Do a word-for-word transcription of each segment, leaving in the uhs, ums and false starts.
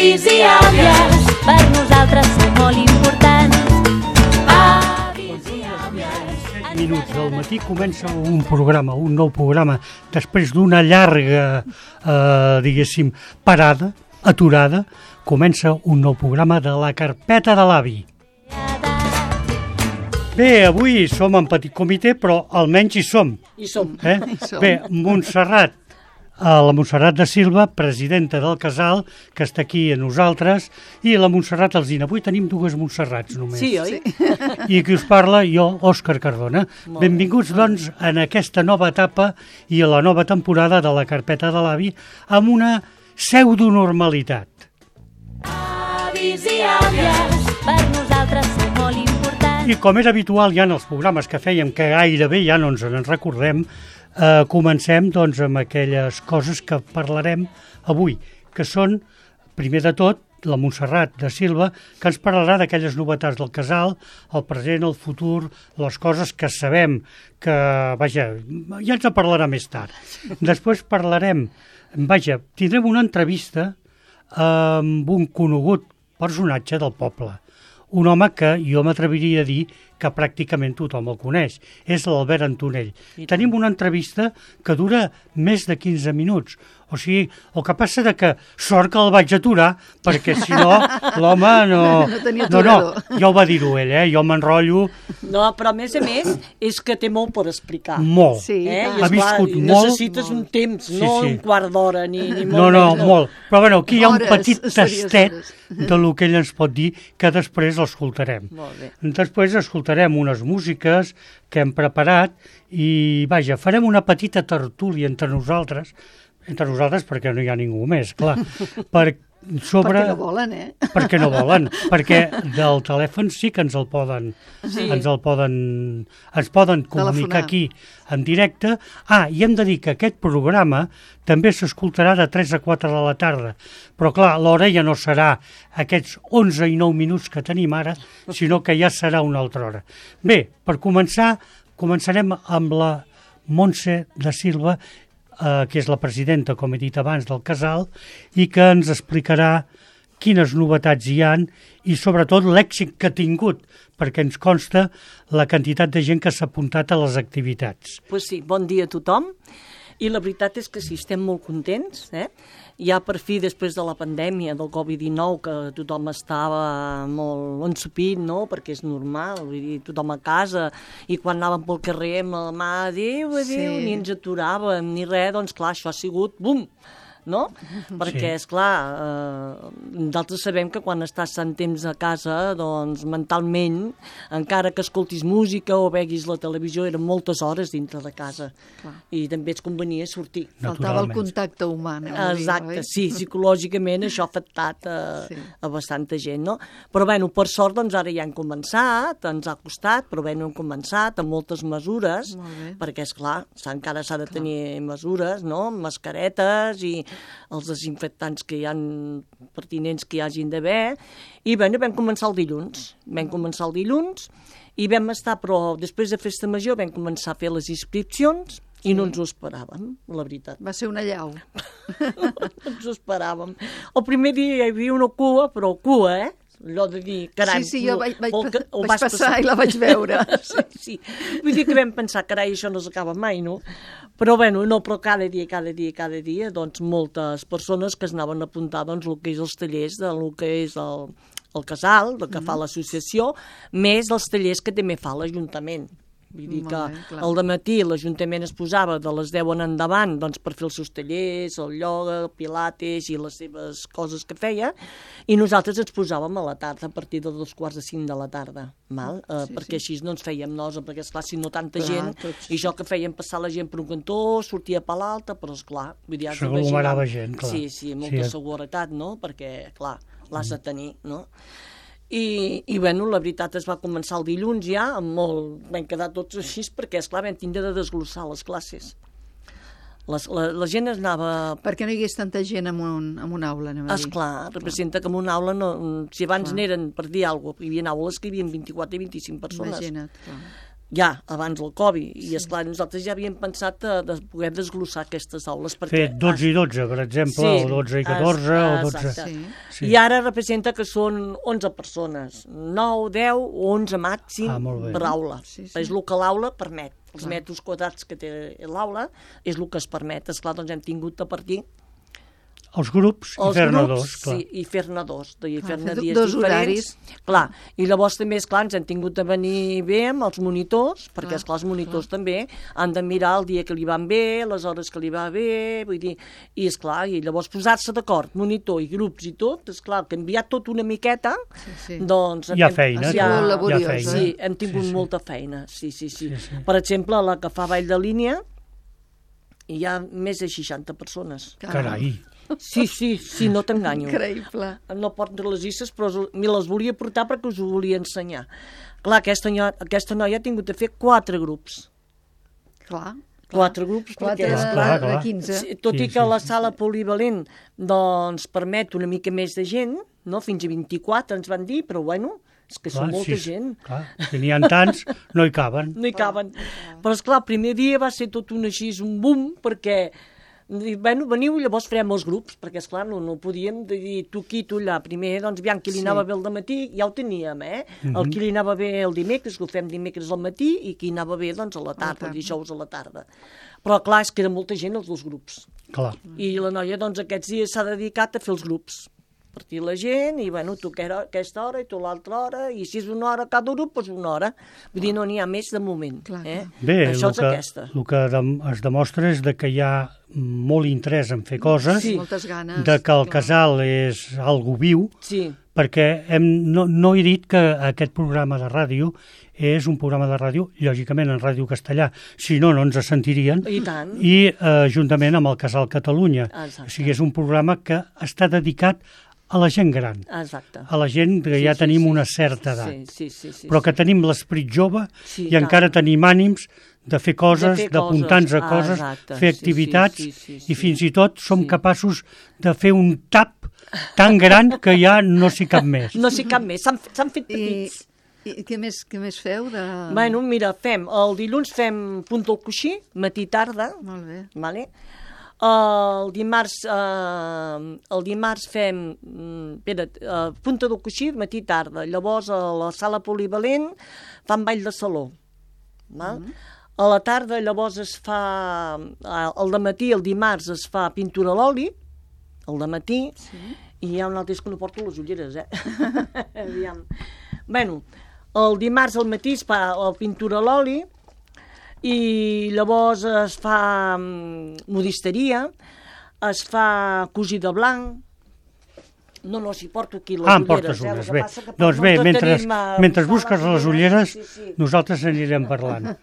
Avis i àvies, per nosaltres sou molt importants. Avis i àvies. set minuts del matí comença un programa, un nou programa, després d'una llarga, eh, diguéssim, parada, aturada, comença un nou programa de la carpeta de l'avi. Bé, avui som en petit comitè, però almenys hi som. Hi som. Eh? Hi som. Bé, Montserrat, eh, la Montserrat de Silva, presidenta del casal, que està aquí a nosaltres, i la Montserrat Alsina. Avui tenim dues Montserrats només. Sí, oi? I qui us parla, jo, Òscar Cardona. Molt Benvinguts, doncs, en aquesta nova etapa i a la nova temporada de la carpeta de l'avi amb una pseudonormalitat. Avis i àvies, per nosaltres sou molt importants. I com és habitual ja en els programes que fèiem, que gairebé ja no ens en recordem, eh, comencem doncs, amb aquelles coses que parlarem avui, que són, primer de tot, la Montserrat de Silva, que ens parlarà d'aquelles novetats del casal, el present, el futur, les coses que sabem que, vaja, ja ens en parlarà més tard. Després parlarem, vaja, tindrem una entrevista amb un conegut personatge del poble. Un home que jo m'atreviria a dir que pràcticament tothom el coneix. És l'Albert Antonell. Tenim una entrevista que dura més de quinze minuts. O sigui, el que passa de que sort que el vaig aturar, perquè si no, l'home no... No tenia no, no, aturador. ja ho va dir-ho ell, eh? Jo m'enrotllo No, però a més a més és que té molt per explicar. molt. Sí, Eh? i I ha esclar, viscut molt. necessites un temps, Sí, no sí. un quart d'hora, ni, ni molt No, no, menys, molt. Però bueno, aquí hi ha un Hores, petit serioses tastet hores. de lo que ell ens pot dir, que després l'escoltarem. Molt bé. Després escoltarem unes músiques que hem preparat i, vaja, farem una petita tertúlia entre nosaltres, entre nosaltres perquè no hi ha ningú més, clar, per, sobre... perquè no volen, eh? Perquè no volen, perquè del telèfon sí que ens el poden, Sí. ens el poden, ens poden comunicar Telefonar. aquí en directe. Ah, i hem de dir que aquest programa també s'escoltarà de tres a quatre de la tarda, però clar, l'hora ja no serà aquests onze i nou minuts que tenim ara, sinó que ja serà una altra hora. Bé, per començar, començarem amb la Montse de Silva, eh, que és la presidenta, com he dit abans, del casal, i que ens explicarà quines novetats hi han i sobretot l'èxit que ha tingut, perquè ens consta la quantitat de gent que s'ha apuntat a les activitats. Pues sí, bon dia a tothom. I la veritat és que sí, estem molt contents. Eh? Ja per fi, després de la pandèmia del covid dinou, que tothom estava molt ensupit, no?, perquè és normal, vull dir, tothom a casa, i quan anàvem pel carrer amb la mà, adéu, adéu, Sí. ni ens aturàvem, ni res, doncs clar, això ha sigut, bum, no? Perquè, és clar, eh, nosaltres sabem que quan estàs tant temps a casa, doncs mentalment, encara que escoltis música o veguis la televisió, eren moltes hores dintre de casa. Clar. I també et convenia sortir. Faltava el Naturalment. contacte humà, anem a dir, Exacte, oi? sí, psicològicament això ha afectat a, Sí. a bastanta gent, no? Però, bueno, per sort, doncs ara ja hem començat, ens ha costat, però bé, hem començat amb moltes mesures, Molt bé. perquè, esclar, encara s'ha de tenir mesures, no?, mascaretes i els desinfectants que hi ha pertinents que hi hagin d'haver, i, bueno, vam començar el dilluns, vam començar el dilluns, i vam estar, però després de Festa Major vam començar a fer les inscripcions, i no ens ho esperàvem, la veritat. Va ser una llau. No ens ho esperàvem. El primer dia hi havia una cua, però cua, eh? Allò de dir, carai... Sí, sí, jo vaig, vaig, vol que- ho vaig vas passar i la vaig veure. Sí, sí. Vull dir que vam pensar, carai, això no s'acaba mai, no? Però, bueno, no, però cada dia, cada dia, cada dia, doncs, moltes persones que es anaven a apuntar, doncs, el que és els tallers, del que és el, el casal, el que fa l'associació, més els tallers que també fa l'Ajuntament. Vull dir Molt que bé, clar. al dematí l'Ajuntament es posava de les deu en endavant doncs, per fer els seus tallers, el ioga, el pilates i les seves coses que feia, i nosaltres ens posàvem a la tarda, a partir de dos quarts de cinc de la tarda, mal? Eh, Sí, perquè així no ens fèiem nosa, perquè esclar, si no tanta Clar, gent, tots- i jo que fèiem passar la gent per un cantó, sortia per l'altre, però esclar, vull dir, has de S'aglomerava vigilar. gent, clar. Sí, sí, molta Sí. seguretat, no?, perquè, clar, l'has de tenir, no? I, i bueno, la veritat es va començar el dilluns ja, amb molt... vam quedar tots així, perquè, esclar, vam tindre de desglossar les classes. Les, la, la gent es anava... Perquè no hi hagués tanta gent en, un, en una aula, anem a dir. Esclar, representa que en una aula, no, si abans Clar. n'eren, per dir alguna cosa, hi havia aules que hi havia vint-i-quatre i vint-i-cinc persones. Imagina't, clar. ja, abans del Covid, i esclar, nosaltres ja havíem pensat de, de poder desglossar aquestes aules. Fer dotze i dotze, per exemple, sí, o dotze i catorze, es, o dotze... Sí. Sí. I ara representa que són onze persones, nou, deu o onze màxim ah, per aula. Sí, sí. És el que l'aula permet. Els metres quadrats que té l'aula és el que es permet. Esclar, doncs hem tingut a partir els grups i fer-ne dos, clar. Sí, i fer-ne dos, i fer-ne fer dies dos diferents. horaris. Clar, i llavors també, esclar, ens hem tingut de venir bé amb els monitors, perquè, Clar, esclar, els monitors clar. també han de mirar el dia que li van bé, les hores que li va bé, vull dir, i esclar, i llavors posar-se d'acord, monitor i grups i tot, esclar, canviar tot una miqueta, Sí, sí. doncs... Hi ha hem- feina, hi ha- molt hi ha laboriós, feina. Sí, hem tingut Sí, sí. molta feina, sí, sí, sí, Sí, sí. Per exemple, la que fa Vall de Línia, hi ha més de seixanta persones. Carai. Sí, sí, sí, no t'enganyo. Increïble. No porto les llistes, però us- me les volia portar perquè us ho volia ensenyar. Clar, aquesta, noia, aquesta noia ha tingut de fer quatre grups. Clar. Quatre grups, Quatre perquè, de, clar, de clar. quinze. sí, tot Sí, i que sí, la sí, sala polivalent doncs, permet una mica més de gent, no? Fins a vint-i-quatre ens van dir, però bueno, és que són molta sí, gent. Clar, si n'hi ha tants, no hi caben. No hi caben. Però, esclar, el primer dia va ser tot un així, un boom, perquè i, bueno, veniu i llavors farem els grups, perquè, esclar, no, no podíem dir tu aquí, tu allà. Primer, doncs, aviam, qui li Sí. anava bé el matí, ja ho teníem, eh? Mhm. El qui li anava bé el dimecres, que ho fem dimecres al matí, i qui anava bé, doncs, a la tarda, tarda. dijous a la tarda. Però, clar, és que era molta gent els dos grups. Clar. I la noia, doncs, aquests dies s'ha dedicat a fer els grups. Partir la gent, i, bueno, tu aquera- aquesta hora i tu l'altra hora, i si és una hora cada grup, doncs una hora. Vull dir, no n'hi ha més de moment. Clar, eh? clar. Bé, Això el és que, aquesta. el que dem- es demostra és de que hi ha molt interès en fer coses, Sí. Moltes ganes. de que el clar. casal és algo viu, Sí. perquè hem, no, no he dit que aquest programa de ràdio és un programa de ràdio, lògicament en ràdio castellà, si no, no ens sentirien, I tant. i eh, juntament amb el Casal Catalunya. Exacte. O sigui, és un programa que està dedicat a la gent gran, Exacte. a la gent que ja sí, tenim sí. una certa edat, Sí, sí, sí, sí, però que tenim l'esperit jove Sí, i tant. encara tenim ànims de fer coses, De fer d'apuntar-nos a coses. coses, Ah, exacte. fer Sí, activitats, sí, sí, sí, i sí. fins i tot som Sí. capaços de fer un tap tan gran que ja no s'hi cap més. No sé cap més, s'han s'han fet I, petits. i què, més, què més feu? De... Bueno, mira, fem, el dilluns fem punt del coixí, matí-tarda, Molt bé. vale? El dimarts, eh, el dimarts fem, mm, espera't, eh, punta del coixí, matí-tarda. Llavors, a la sala polivalent fan ball de saló. Val? Mm-hmm. A la tarda, llavors, es fa... eh, El dematí, el dimarts, es fa pintura a l'oli, el dematí, sí. I hi ha un altre és que no porto les ulleres, eh? Aviam. Bueno, el dimarts al matí es fa la pintura a l'oli, i llavors es fa mm, modisteria, es fa cosir de blanc. No, no, si porto aquí les Ah, em ulleres. portes eh? El unes, que bé. passa que per Doncs bé, no mentre, tenim, eh, mentre posar busques les ulleres, sí, sí. nosaltres anirem parlant.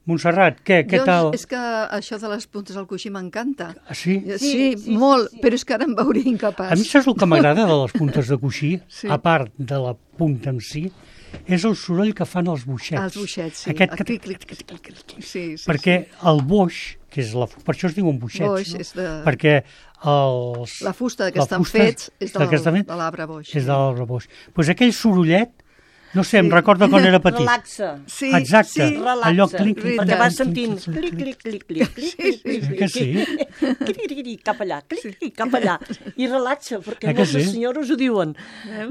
Montserrat, què, què Jo, tal? És que això de les puntes al coixí m'encanta. Ah, sí? Sí, Sí, sí, sí, molt, sí, sí. però és que ara em veuria incapaç. A mi saps el que m'agrada de les puntes de coixí, Sí. a part de la punta en si, és el soroll que fan els boixets. Els boixets, sí. Aquest, El que... clic, clic, clic, clic, clic. Sí, sí, perquè el boix, que és la... per això es diuen boixets, Boix no? és de- Perquè els... La fusta que la estan fusta fets és de del- que estan fets de l'arbre boix. És de l'arbre boix. Doncs pues aquell sorollet, no sé, em Sí. recorda quan era petit. Relaxa. Sí, Exacte. sí. Relaxa, Allò clic, clic, perquè clic, vas clic, sentint clic, clic, clic, clic, clic, clic, clic, clic, clic, Sí que sí. clic, clic, clic, cap allà, clic, clic, cap allà, i relaxa, perquè Eh que moltes sí? senyores ho diuen.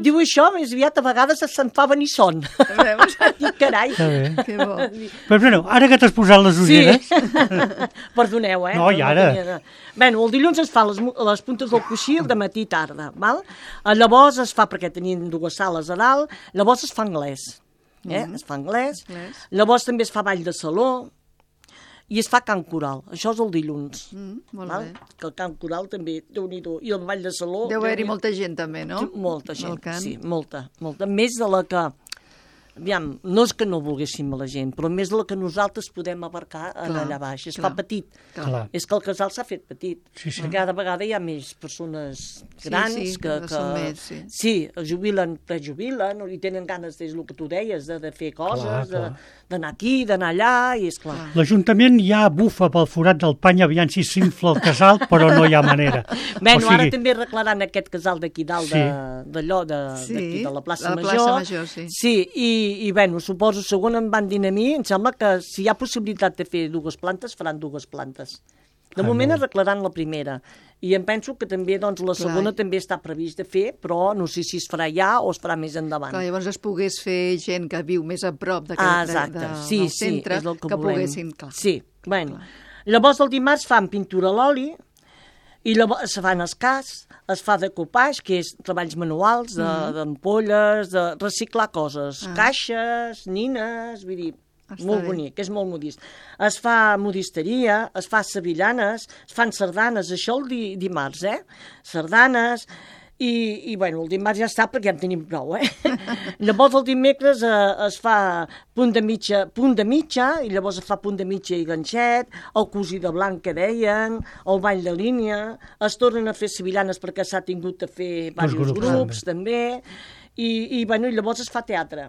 Diu això, més aviat a vegades se'n fa venir son. Veus? I carai. Està bé. Que bo. Però bueno, ara que t'has posat les Sí, ulleres... perdoneu, eh? No, i ara? tenia- Bueno, el dilluns es fa les, mu- les puntes del coixí el de matí i tarda, val? Eh, Llavors es fa, perquè tenien dues sales a dalt, llavors es fa anglès, eh? Es fa anglès, Anglès. llavors també es fa ball de saló, i es fa cant coral, això és el dilluns. Mm, molt val? bé. Que el cant coral també, déu-n'hi-do, i el ball de saló... Deu haver-hi Déu-n'hi-do. molta gent també, no? Molta gent, Al cant. sí, molta, molta. Més de la que... Aviam, no és que no volguéssim a la gent, però més de la que nosaltres podem abarcar en Clar, allà baix. Es clar. fa petit. Clar. És que el casal s'ha fet petit. Sí, sí. Perquè cada vegada hi ha més persones Sí, grans sí, que, que que... són més, sí. sí, es jubilen, prejubilen, i tenen ganes, és el que tu deies, de, de fer coses, Clar, de- clar. d'anar aquí, d'anar allà, i és clar. L'Ajuntament ja bufa pel forat del pany aviam si s'infla el casal, però no hi ha manera. Bueno, o sigui, ara també arreglaran aquest casal d'aquí dalt, Sí. de- d'allò, de, Sí, d'aquí, de la plaça de la Major. plaça Major, sí. Sí, i i bueno, suposo, segon em van dir a mi, em sembla que si hi ha possibilitat de fer dues plantes, faran dues plantes. De Ah, moment molt. arreglaran la primera. I em penso que també doncs, la Clar. segona també està previst de fer, però no sé si es farà ja o es farà més endavant. Clar, llavors es pogués fer gent que viu més a prop de, Ah, de, exacte. de, sí, del centre, sí, és el que, que volem. poguessin... Clar. Sí, bueno. Llavors el dimarts fan pintura a l'oli, i llavors es fan escàs, es fa decopage, que és treballs manuals, d'ampolles, de, de reciclar coses, Ah. caixes, nines, vull dir, Està molt bé. bonic, és molt modist. Es fa modisteria, es fa sevillanes, es fan sardanes, això el di, dimarts, eh? Sardanes, i, i bueno, el dimarts ja està perquè ja en tenim prou, eh? Llavors el dimecres eh, es fa punt de mitja, punt de mitja, i llavors es fa punt de mitja i ganxet, el cosí de blanc que deien, el ball de línia, es tornen a fer sevillanes perquè s'ha tingut de fer diversos grups, grups, grups també, i, i, bueno, i llavors es fa teatre.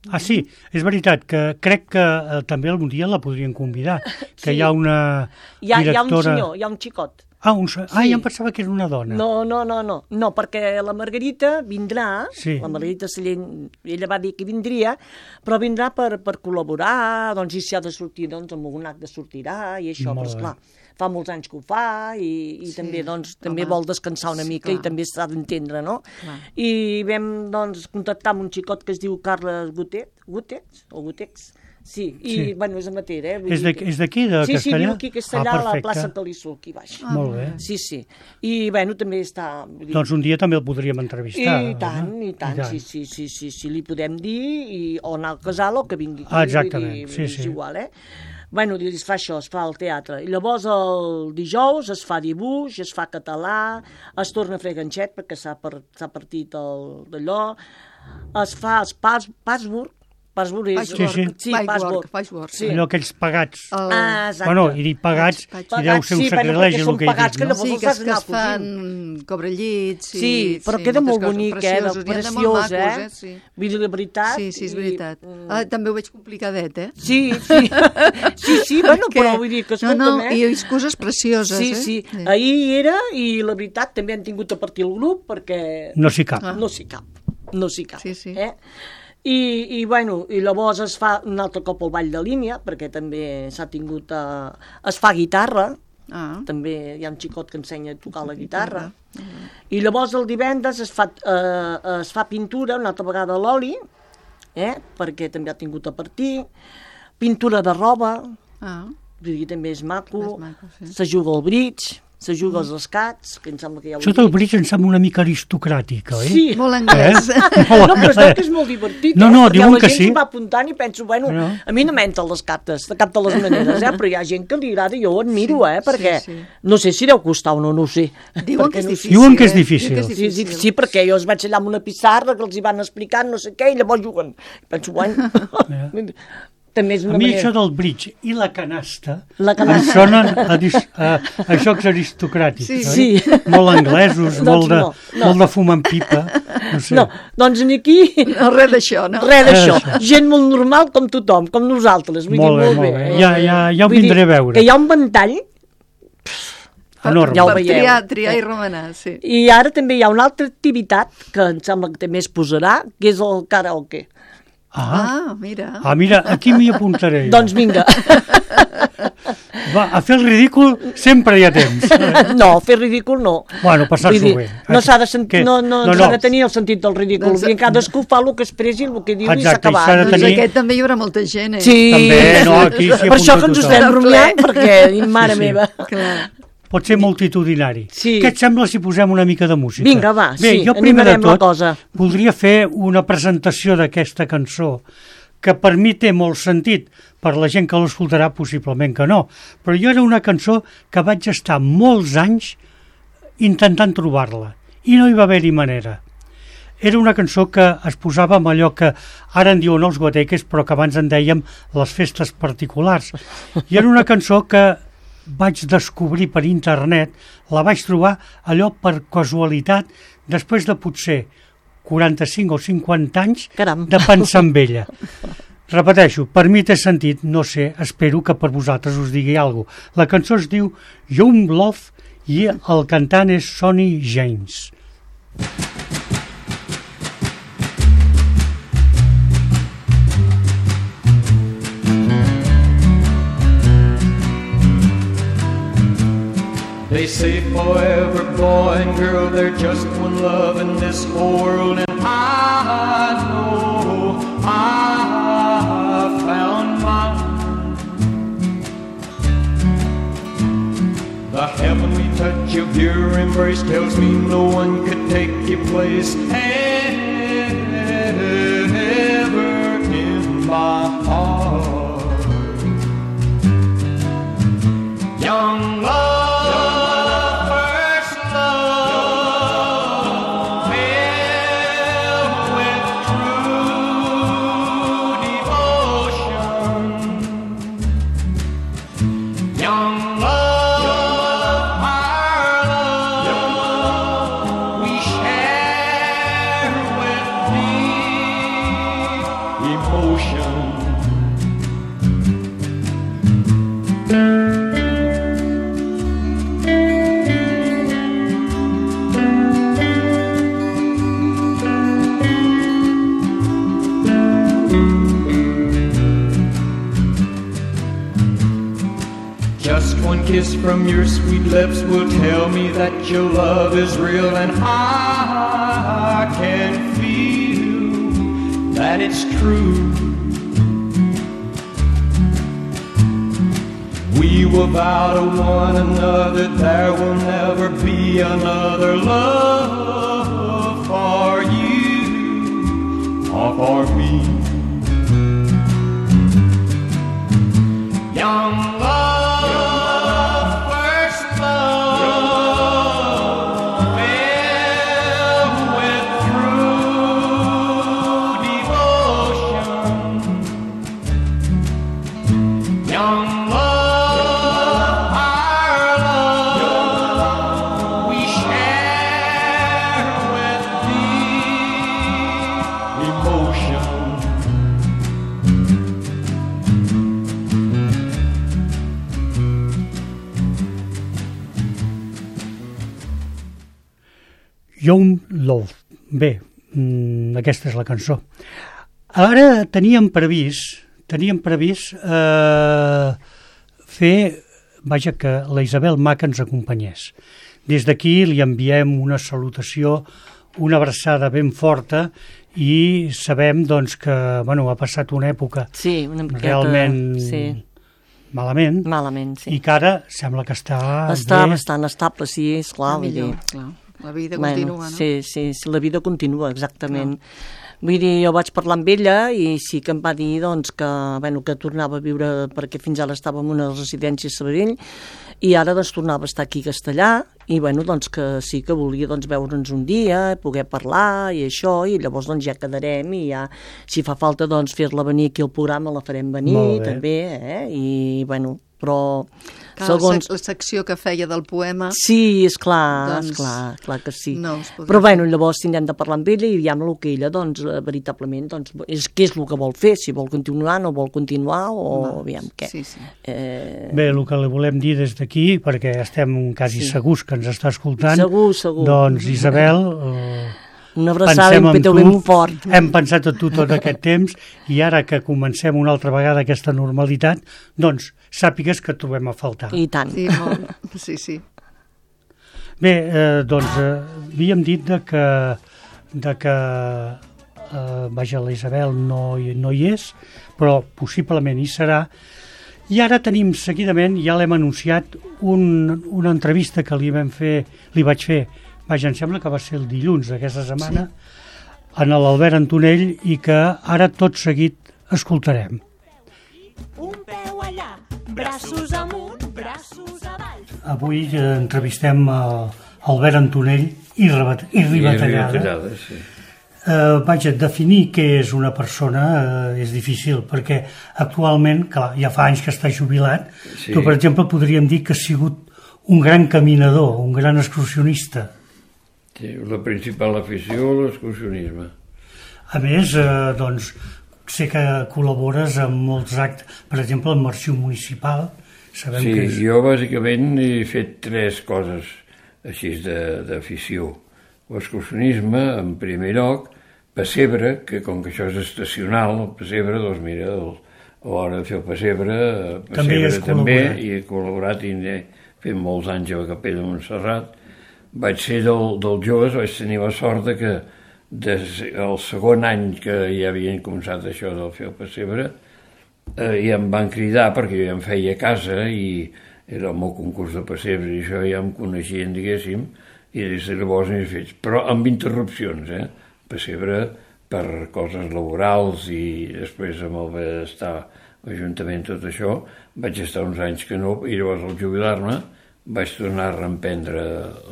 Ah, sí, és veritat que crec que eh, també algun dia la podrien convidar, que Sí. hi ha una Hi ha, hi ha un directora... senyor, hi ha un xicot. Ah, un... se- ah, Sí. ja em pensava que era una dona. No, no, no, no, no, perquè la Margarita vindrà, Sí. la Margarita Sallent, ella va dir que vindria, però vindrà per, per col·laborar, doncs, i si ha de sortir, doncs, amb algun acte sortirà, i això, Molt però, bé. esclar, fa molts anys que ho fa, i, i Sí, també, doncs, també home. vol descansar una Sí, mica, clar. i també s'ha d'entendre, no? Clar. I vam, doncs, contactar amb un xicot que es diu Carles Gutet, Gutex, o Gutex, sí, i, Sí. bueno, és amateur, eh? Vull És dir de- que- és d'aquí, de sí, Sí, Castellà? viu aquí a Castellà, Ah, a la perfecte. plaça Calissó, aquí baix. Ah, Molt bé. Sí, sí. I, bueno, també està... vull dir, Doncs un dia també el podríem entrevistar. I tant, eh? i tant, sí, sí, sí, sí, sí, li podem dir, i, o anar al casal o que vingui aquí. Ah, exactament, vull dir, sí, és sí. igual, eh? Bueno, es fa això, es fa el teatre. I llavors el dijous es fa dibuix, es fa català, es torna a fer ganxet perquè s'ha per, s'ha partit el d'allò, es fa els pas, password, password és... Patchwork, Sí, sí. Sí, patchwork, password. patchwork. Sí. Allò aquells pagats. El... Ah, exacte. Bueno, he dit pagats, Patch- i deu ser un sí, bueno, sacrilegi perquè el són que he pagats dit, que no? llavors Sí, els que, has es, que d'anar es fan cobrellits. I, Sí, però queda moltes molt coses bonic, eh, precioses, de n'hi ha de preciós, molt eh? macos, Sí. Vull dir, la veritat... Sí, sí, és i- veritat. mm, Ah, també ho veig complicadet, eh? Sí, sí, sí, sí, bueno, Que- però vull dir que no, escolta'm, no, eh? i és coses precioses, Sí, eh? sí, ahir hi era i la veritat també han tingut a partir el grup perquè No s'hi cap. Ah. no s'hi cap, no s'hi cap. Sí, sí. Eh? I, i, bueno, i llavors es fa un altre cop el ball de línia perquè també s'ha tingut a... es fa guitarra, Ah, també hi ha un xicot que ensenya a tocar la guitarra. I llavors el divendres es fa, eh, es fa pintura una altra vegada a l'oli, eh? perquè també ha tingut a partir, pintura de roba, ah. vull dir, també és maco, És maco, sí. se juga al bridge, se juga als escats, que em sembla que hi ha un Això del bridge em sembla una mica aristocràtic, oi? Sí, Molt anglès. Eh? no, però es veu que és molt divertit, No, eh? no, Perquè diuen la que gent sí. s'hi va apuntant i penso, bueno, No. a mi no m'entren les cartes, de cap de les maneres, eh? Però hi ha gent que li agrada, jo ho admiro, Sí, eh? Perquè sí, sí. no sé si deu costar o no, no ho sé. Diuen Perquè que és no sé. difícil. Diuen que és eh? difícil. Diuen que és Sí, sí, sí, perquè jo es vaig allà amb una pissarra que els hi van explicant no sé què i llavors juguen. I penso, bueno, també és A una mi manera... això del bridge i la canasta, La em canasta. sonen a, dis, a, a jocs aristocràtics, Sí, oi? sí. Molt anglesos, Doncs molt, de, no, no. molt de fum en pipa, no sé. No, doncs ni aquí... No, res d'això, no? Res d'això. Res. Gent molt normal com tothom, com nosaltres. Vull Molt dir, bé, molt bé. molt bé. Ja- ja- ja ho Vull dir vindré a veure. Que hi ha un ventall, Enorme. Ja ho Per veieu. triar, triar Eh. i remenar, sí. i ara també hi ha una altra activitat que em sembla que també es posarà, que és el karaoke. Ah, Ah, mira. ah, mira, aquí m'hi apuntaré. jo. Doncs vinga. Va, a fer el ridícul sempre hi ha temps. No, fer ridícul no. Bueno, passar-s'ho Vull dir, bé. No s'ha de, sent... Què? no, no, No, no, no. de tenir el sentit del ridícul. Doncs- Doncs... Cadascú fa el que expressi, el que diu Exacte, i s'ha i s'ha de acabat. Doncs tenir- aquest també hi haurà molta gent, eh? Sí, També, no, aquí s'hi per això apunta que ens ho tothom. estem rumiant, Ple. perquè, mare Sí, sí. meva. Clar. Pot ser multitudinari. Sí. Què et sembla si posem una mica de música? Vinga, va, Bé, sí, jo primer de animarem la tot cosa. voldria fer una presentació d'aquesta cançó que per mi té molt sentit, per la gent que l'escoltarà possiblement que no, però jo era una cançó que vaig estar molts anys intentant trobar-la i no hi va haver-hi manera. Era una cançó que es posava amb allò que ara en diuen els guateques, però que abans en dèiem les festes particulars. I era una cançó que vaig descobrir per internet, la vaig trobar allò per casualitat, després de potser quaranta-cinc o cinquanta anys Caram. de pensar en ella. Repeteixo, per mi té sentit, no sé, espero que per vosaltres us digui alguna cosa. La cançó es diu Young Love i el cantant és Sonny James. They say forever, boy and girl, they're just one love in this whole world. And I know I found mine. The heavenly touch of your embrace tells me no one could take your place ever in my heart. Young love, kiss from your sweet lips will tell me that your love is real, and I can feel that it's true. We will vow to one another there will never be another love for you or for me. Young love, Young Love. Bé, mmm, aquesta és la cançó. Ara teníem previst, teníem previst eh, fer, vaja, que la Isabel Maca ens acompanyés. Des d'aquí li enviem una salutació, una abraçada ben forta i sabem doncs, que bueno, ha passat una època sí, una miqueta, realment sí. malament, malament sí. I que ara sembla que està... Està bé. bastant estable, sí, esclar. Millor, clar. La vida bueno, continua, no? Sí, sí, sí, la vida continua, exactament. Clar. Vull dir, jo vaig parlar amb ella i sí que em va dir doncs, que, bueno, que tornava a viure, perquè fins ara estava en una residència a Sabadell, i ara doncs, tornava a estar aquí a Castellà, i bueno, doncs, que sí que volia doncs, veure'ns un dia, poder parlar i això, i llavors doncs, ja quedarem i ja, si fa falta doncs, fer-la venir aquí al programa la farem venir també, eh? I bueno, però Clar, segons... la secció que feia del poema... Sí, és clar, doncs, és clar, clar que sí. No però bueno, llavors tindrem de parlar amb ella i diguem el que ella, doncs, veritablement, doncs, és, què és el que vol fer, si vol continuar, no vol continuar, o Va, aviam què. Sí, sí. Eh... Bé, el que li volem dir des d'aquí, perquè estem quasi sí. segurs que ens està escoltant, segur, segur. Doncs, Isabel... Eh... Una abraçada i un petó ben fort. Hem pensat en tu tot aquest temps i ara que comencem una altra vegada aquesta normalitat, doncs sàpigues que et trobem a faltar. I tant. Sí, molt. sí, sí. Bé, eh, doncs eh, havíem dit de que, de que eh, vaja, la Isabel no, no hi és, però possiblement hi serà. I ara tenim seguidament, ja l'hem anunciat, un, una entrevista que li vam fer, li vaig fer, vaja, em sembla que va ser el dilluns d'aquesta setmana, sí. en l'Albert Antonell, i que ara tot seguit escoltarem. Un peu allà, braços amunt, braços avall. Avui eh, entrevistem a Albert Antonell i, rebat, i Ribatallada. I Ribatallada, sí. Eh, vaja, definir què és una persona eh, és difícil, perquè actualment, clar, ja fa anys que està jubilat, sí. Tu, per exemple, podríem dir que ha sigut un gran caminador, un gran excursionista. Sí, la principal afició, l'excursionisme. A més, eh, doncs, sé que col·labores amb molts actes, per exemple, amb l'Arxiu Municipal. Sabem sí, que és... jo bàsicament he fet tres coses així d'afició. L'excursionisme, en primer lloc, pessebre, que com que això és estacional, el pessebre, doncs mira, el, a l'hora de fer el pessebre, pessebre també, també i he col·laborat i fent molts anys a la Capella de Montserrat. Vaig ser del, dels joves, vaig tenir la sort de que des, el segon any que ja havien començat això del fer el pessebre, eh, ja em van cridar perquè jo ja em feia a casa i era el meu concurs de pessebre i això ja em coneixien, diguéssim, i des de llavors n'he fet, però amb interrupcions, eh? Pessebre per coses laborals i després amb el benestar, l'Ajuntament, tot això, vaig estar uns anys que no, i llavors al jubilar-me vaig tornar a reemprendre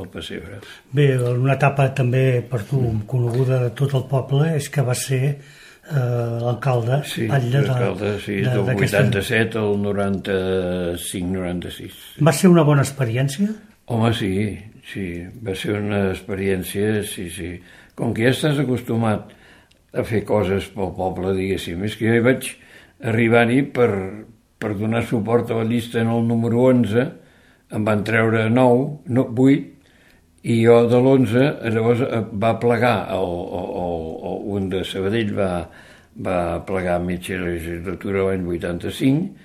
el pessebre. Bé, una etapa també per tu coneguda de tot el poble és que va ser eh, l'alcalde. Sí, l'alcalde, l'alcalde, sí, del vuitanta-set al noranta-cinc noranta-sis. Va ser una bona experiència? Home, sí, sí, va ser una experiència, sí, sí. Com que ja estàs acostumat a fer coses pel poble, diguéssim, és que jo hi vaig arribar-hi per, per donar suport a la llista en el número onze, em van treure nou, no, vuit, i jo de l'onze, llavors va plegar, el, el, el, un de Sabadell va, va plegar a mitja legislatura l'any vuitanta-cinc,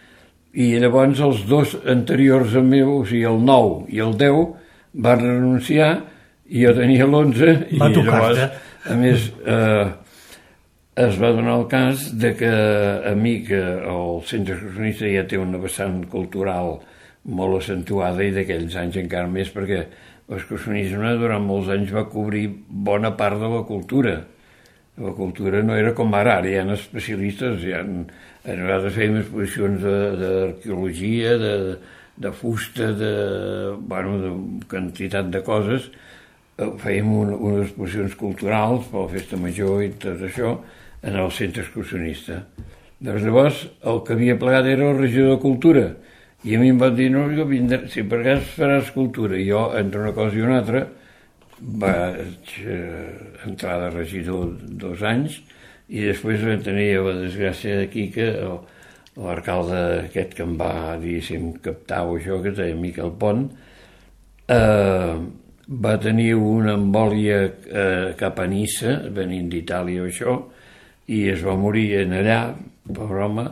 i llavors els dos anteriors al meu, o sigui, el nou i el deu, van renunciar, i jo tenia l'onze, i llavors, a més, eh, es va donar el cas de que a mi, que el Centre Excursionista ja té una vessant cultural molt accentuada i d'aquells anys encara més, perquè l'excursionisme durant molts anys va cobrir bona part de la cultura. La cultura no era com ara, ara hi ha especialistes, hi ha, a vegades fèiem exposicions d'arqueologia, de, de fusta, de, bueno, de quantitat de coses, fèiem un, unes exposicions culturals per la festa major i tot això en el centre excursionista. Doncs llavors el que havia plegat era el regidor de Cultura i a mi em van dir, no, jo vindré, si per cas faràs cultura, i jo entre una cosa i una altra vaig eh, entrar de regidor dos anys i després vam tenir la desgràcia d'aquí que l'alcalde aquest que em va, diguéssim, captar o això, que es deia Miquel Pont, eh, va tenir una embòlia eh, cap a Niça, venint d'Itàlia o això, i es va morir en allà, pobre home,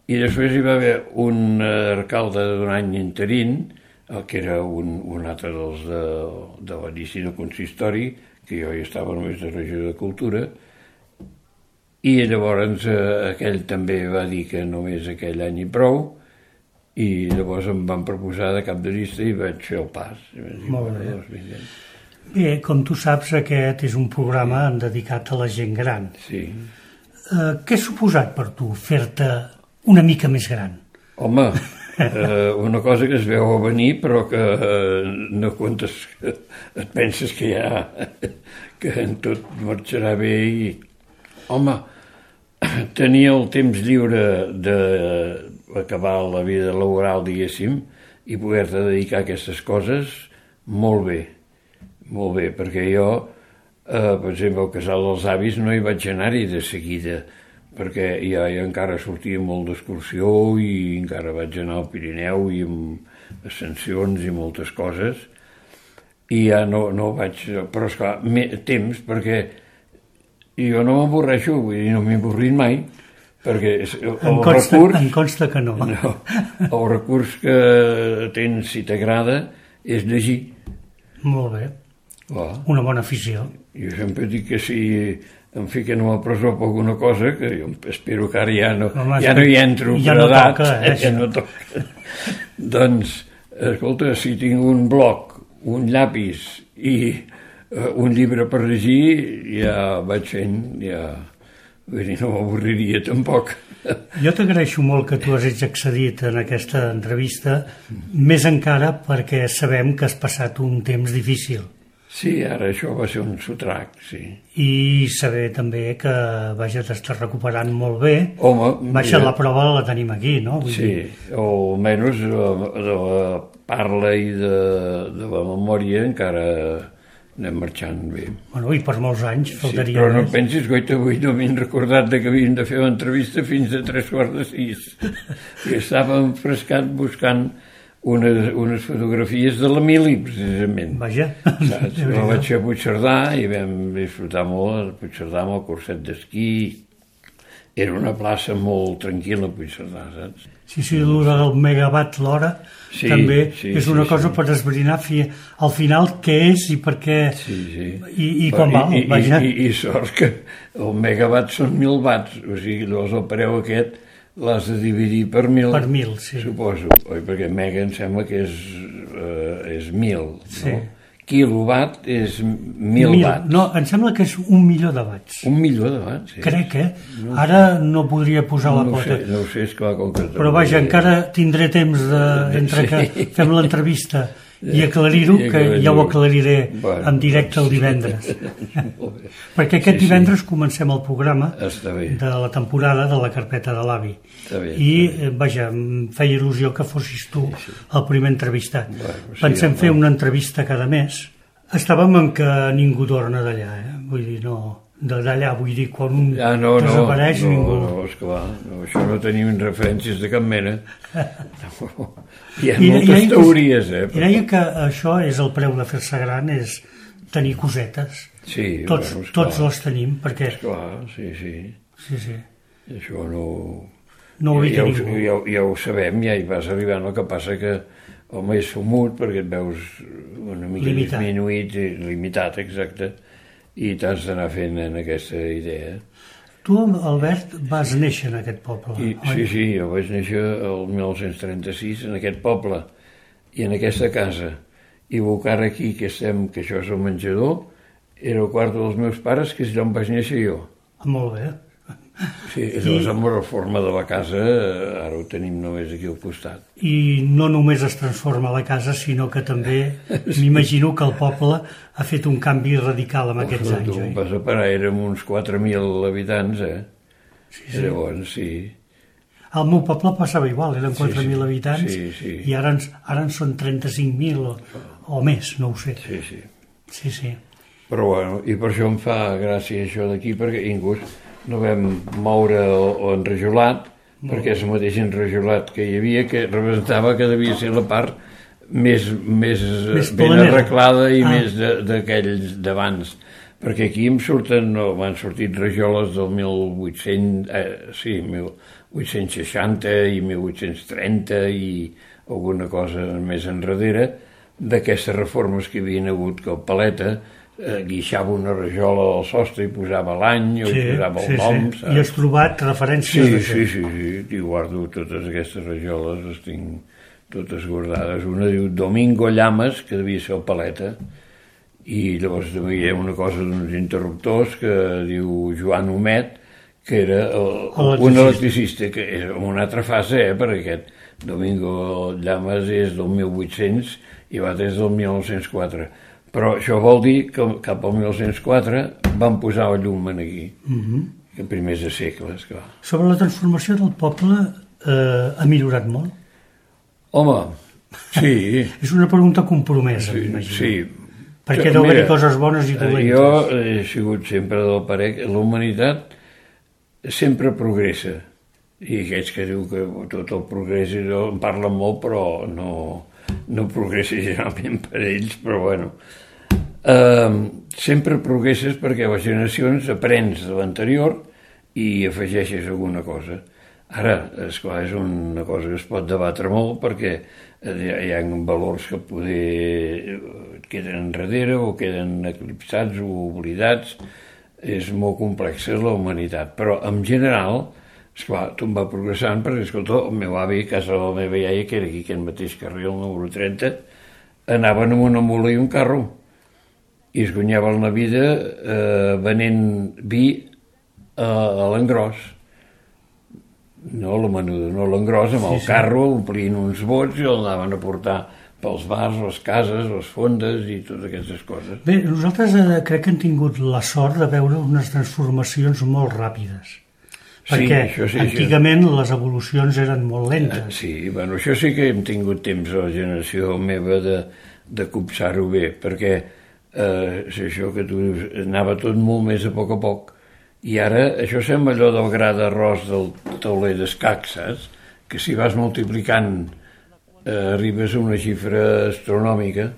i després hi va haver un alcalde d'un any interín, el que era un, un altre dels de, de l'inici del consistori, que jo hi estava només de regidor de Cultura, i llavors eh, aquell també va dir que només aquell any i prou, i llavors em van proposar de cap de llista i vaig fer el pas. Molt bé. Bé, com tu saps, aquest és un programa dedicat a la gent gran. Sí. Uh, què ha suposat per tu fer-te una mica més gran? Home, eh, una cosa que es veu a venir, però que eh, no comptes, que et penses que ja que en tot marxarà bé i... Home, tenir el temps lliure d'acabar la vida laboral, diguéssim, i poder-te dedicar a aquestes coses, molt bé, molt bé, perquè jo... Uh, per exemple, al Casal dels Avis no hi vaig anar-hi de seguida, perquè ja, ja encara sortia molt d'excursió i encara vaig anar al Pirineu i amb ascensions i moltes coses, i ja no, no vaig... Però, esclar, temps, perquè jo no m'avorreixo, vull dir, no m'he avorrit mai, perquè el, el em consta, recurs... Em consta que no. no. El recurs que tens, si t'agrada, és llegir. Molt bé. Oh. Una bona afició. Jo sempre dic que si em fiquen a la presó per alguna cosa, que jo espero que ara ja no, Home, ja no hi entro ja per no edat, toca, eh, ja no toca. Doncs, escolta, si tinc un bloc, un llapis i uh, un llibre per llegir, ja vaig fent, ja... Vull dir, no m'avorriria tampoc. Jo t'agraeixo molt que tu hagis accedit en aquesta entrevista, més encara perquè sabem que has passat un temps difícil. Sí, ara això va ser un sotrac, sí. I saber també que, vaja, t'estàs recuperant molt bé. Home, Baixa la prova la tenim aquí, no? Vull sí, dir... o almenys de la, de la parla i de, de la memòria encara anem marxant bé. Bueno, i per molts anys faltaria... Sí, però no més. pensis, goita, avui no m'he recordat de que havíem de fer l'entrevista fins a tres quarts de sis. I estava enfrescat buscant unes, unes fotografies de l'Emili, precisament. Vaja. Saps? La vaig fer a Puigcerdà i vam disfrutar molt a Puigcerdà amb el curset d'esquí era una plaça molt tranquil·la, Puigcerdà, saps? Sí, sí, l'hora del megawatt l'hora Sí, també sí, és una sí, cosa sí. per esbrinar fi, al final què és i per què Sí, sí. i, i quan val, I, i, vaja. I, i sort que el megawatt són mil watts, o sigui, llavors el preu aquest l'has de dividir per mil. Per mil, sí. Suposo, oi? Perquè mega em sembla que és, eh, és mil, Sí. no? Quilowatt és mil, Mil. watts. No, em sembla que és un milió de watts. Un milió de watts, sí. Crec, eh? Ara no podria posar la no ho pota. sé, no ho sé, és clar, com que... Però vaja, encara tindré temps de, entre que fem l'entrevista i aclarir-ho, I que ja ho aclariré Bueno, en directe el divendres. Molt bé. Perquè aquest Sí, sí. divendres comencem el programa Està bé. de la temporada de la carpeta de l'avi. Està bé, I, està bé. eh, vaja, em feia il·lusió que fossis tu el primer entrevistat. Bueno, sí, Pensem home. fer una entrevista cada mes. Estàvem en que ningú torna d'allà, eh? Vull dir, no... de d'allà, vull dir, quan un Ah, no, no, desapareix, no, ningú... no, esclar, no, això no tenim referències de cap mena. No, hi ha I- moltes i deia que- teories, eh? I deia que això és el preu de fer-se gran, és tenir cosetes. Sí, Tots, bueno, esclar, tots les tenim, perquè... esclar, sí, sí. Sí, sí. Això no... No ho ja, evita ja, ho, ningú. ja, ja ho sabem, ja hi vas arribant, el que passa que home, és fumut perquè et veus una mica Limitat. disminuït, i limitat, exacte, i t'has d'anar fent en aquesta idea. Tu, Albert, vas néixer en aquest poble, I, oi? sí, sí, jo vaig néixer el mil nou-cents trenta-sis en aquest poble i en aquesta casa. I Bocara aquí, que estem, que això és el menjador, era el quarto dels meus pares, que és allà on vaig néixer jo. Ah, molt bé. Sí, és I... la reforma de la casa, eh, ara ho tenim només aquí al costat. I no només es transforma la casa, sinó que també m'imagino que el poble ha fet un canvi radical en aquests anys, Tu oi? vas a parar, érem uns quatre mil habitants, eh? Sí, sí. Llavors, sí. Al meu poble passava igual, eren Sí, quatre mil sí. habitants Sí, sí. i ara, ens, ara en són trenta-cinc mil o, o més, no ho sé. Sí, sí. Sí, sí. Però bueno, i per això em fa gràcia això d'aquí, perquè inclús no vam moure o, o enrajolat, no. perquè és el mateix enrajolat que hi havia, que representava que devia ser la part més, més, Més ben planera. arreglada i Ah. més de- d'aquells d'abans. Perquè aquí em surten, no, m'han sortit rajoles del mil vuit-cents, eh, sí, mil vuit-cents seixanta i mil vuit-cents trenta i alguna cosa més enrere, d'aquestes reformes que havien hagut, que el paleta eh, guixava una rajola al sostre i posava l'any o Sí, hi posava sí, el nom, sí. saps? I has trobat referències Sí, d'això. sí, sí, sí, i guardo totes aquestes rajoles, les tinc totes guardades. Una diu Domingo Llamas, que devia ser el paleta, i llavors també hi ha una cosa d'uns interruptors que diu Joan Homet, que era el, Electricista. un electricista, que és en una altra fase, eh, perquè aquest Domingo Llamas és del mil vuit-cents i va des del mil nou-cents quatre. Però això vol dir que cap al mil nou-cents quatre van posar el llum en aquí, Mhm. que primers de segles, clar. Sobre la transformació del poble, eh, ha millorat molt? Home, sí, És una pregunta compromesa, sí, m'imagino. sí. Perquè deu haver-hi coses bones i eh, dolentes. Jo he sigut sempre del parer que la humanitat sempre progressa. I aquells que diu que tot el progrés en parlen molt, però no, no progressa generalment per ells, però bueno. Uh, sempre progresses perquè a les generacions aprens de l'anterior i afegeixes alguna cosa. Ara, esclar, és una cosa que es pot debatre molt perquè hi ha valors que poder et queden enrere o queden eclipsats o oblidats. És molt complexa la humanitat, però en general, esclar, tot va progressant perquè, escolta, el meu avi, a casa de la meva iaia, que era aquí, aquest mateix carrer, el número trenta, anaven amb una mula i un carro i es guanyaven la vida eh, venent vi a, a l'engròs. No la menuda, no l'engròs, amb el Sí, sí. carro, omplint uns bots i el anaven a portar pels bars, les cases, les fondes i totes aquestes coses. Bé, nosaltres eh, crec que hem tingut la sort de veure unes transformacions molt ràpides. Sí, Perquè això sí, antigament les evolucions eren molt Eh, lentes. Sí, bueno, això sí que hem tingut temps a la generació meva de, de copsar-ho bé, perquè eh, és això que tu dius, anava tot molt més a poc a poc. I ara això sembla allò del gra d'arròs del tauler d'escac, saps? Que si vas multiplicant eh, arribes a una xifra astronòmica,